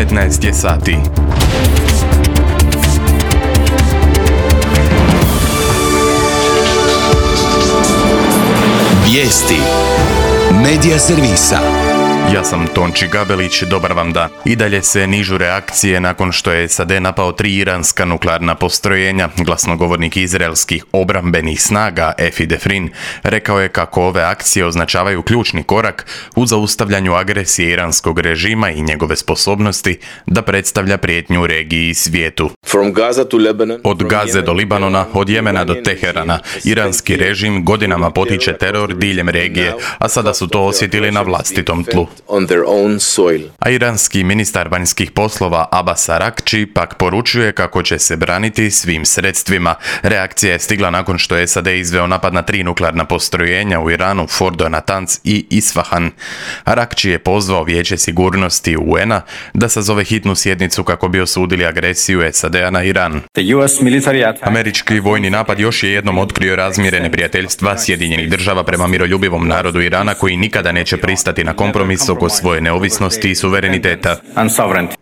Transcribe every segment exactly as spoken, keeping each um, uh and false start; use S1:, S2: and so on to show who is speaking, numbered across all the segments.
S1: petnaest je sati.
S2: Vijesti Medija servisa.
S1: Ja sam Tonči Gabelić, dobar vam dan. I dalje se nižu reakcije nakon što je S A D napao tri iranska nuklearna postrojenja. Glasnogovornik izraelskih obrambenih snaga Efi Defrin rekao je kako ove akcije označavaju ključni korak u zaustavljanju agresije iranskog režima i njegove sposobnosti da predstavlja prijetnju u regiji i svijetu. Od Gaze do Libanona, od Jemena do Teherana, iranski režim godinama potiče teror diljem regije, a sada su to osjetili na vlastitom tlu. A iranski ministar vanjskih poslova Abbas Araghchi pak poručuje kako će se braniti svim sredstvima. Reakcija je stigla nakon što je S A D izveo napad na tri nuklearna postrojenja u Iranu, Fordo, Natanz i Isfahan. Araghchi je pozvao Vijeće sigurnosti U N-a da sazove hitnu sjednicu kako bi osudili agresiju S A D-a na Iran. Američki vojni napad još je jednom otkrio razmjere neprijateljstva Sjedinjenih država prema miroljubivom narodu Irana koji nikada neće pristati na kompromis oko svoje neovisnosti i suvereniteta.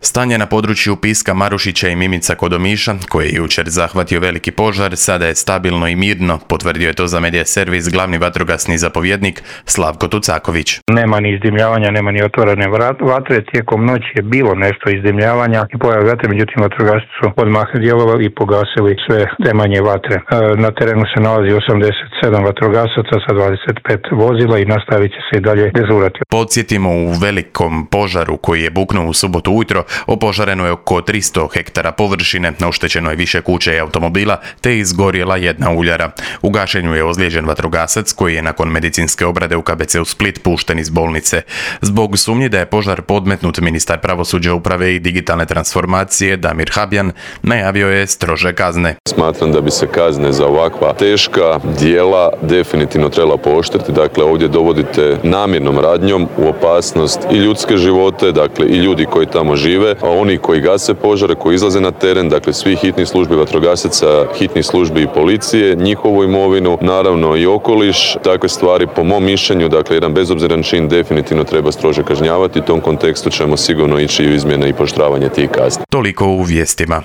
S1: Stanje na području Piska, Marušića i Mimica kod Omiša, koji je jučer zahvatio veliki požar, sada je stabilno i mirno, potvrdio je to za Medija servis glavni vatrogasni zapovjednik Slavko Tucaković.
S3: Nema ni izdimljavanja, nema ni otvorene vatre, tijekom noći je bilo nešto izdimljavanja i pojave vatre, međutim vatrogasci su odmah djelovali i pogasili sve te manje vatre. Na terenu se nalazi osamdeset sedam vatrogasaca sa dvadeset pet vozila i nastavit će se i dalje dežurati.
S1: Podsjetimo, u velikom požaru koji je buknuo u subotu ujutro, opožareno je oko tristo hektara površine, oštećeno je više kuća i automobila, te izgorjela jedna uljara. U gašenju je ozlijeđen vatrogasac koji je nakon medicinske obrade u K B C u Split pušten iz bolnice. Zbog sumnje da je požar podmetnut, ministar pravosuđa, uprave i digitalne transformacije Damir Habjan najavio je strože kazne.
S4: Smatram da bi se kazne za ovakva teška djela definitivno trebala pooštriti. Dakle, ovdje dovodite namjernom radnjom u opasnost i ljudske živote, dakle i ljudi koji tamo žive, a oni koji gase požare, koji izlaze na teren, dakle svih hitnih službi vatrogasaca, hitnih službi i policije, njihovu imovinu, naravno i okoliš, takve stvari po mom mišljenju, dakle jedan bezobziran čin definitivno treba strože kažnjavati. U tom kontekstu ćemo sigurno ići u izmjene i pooštravanje tih kazni.
S1: Toliko u vijestima.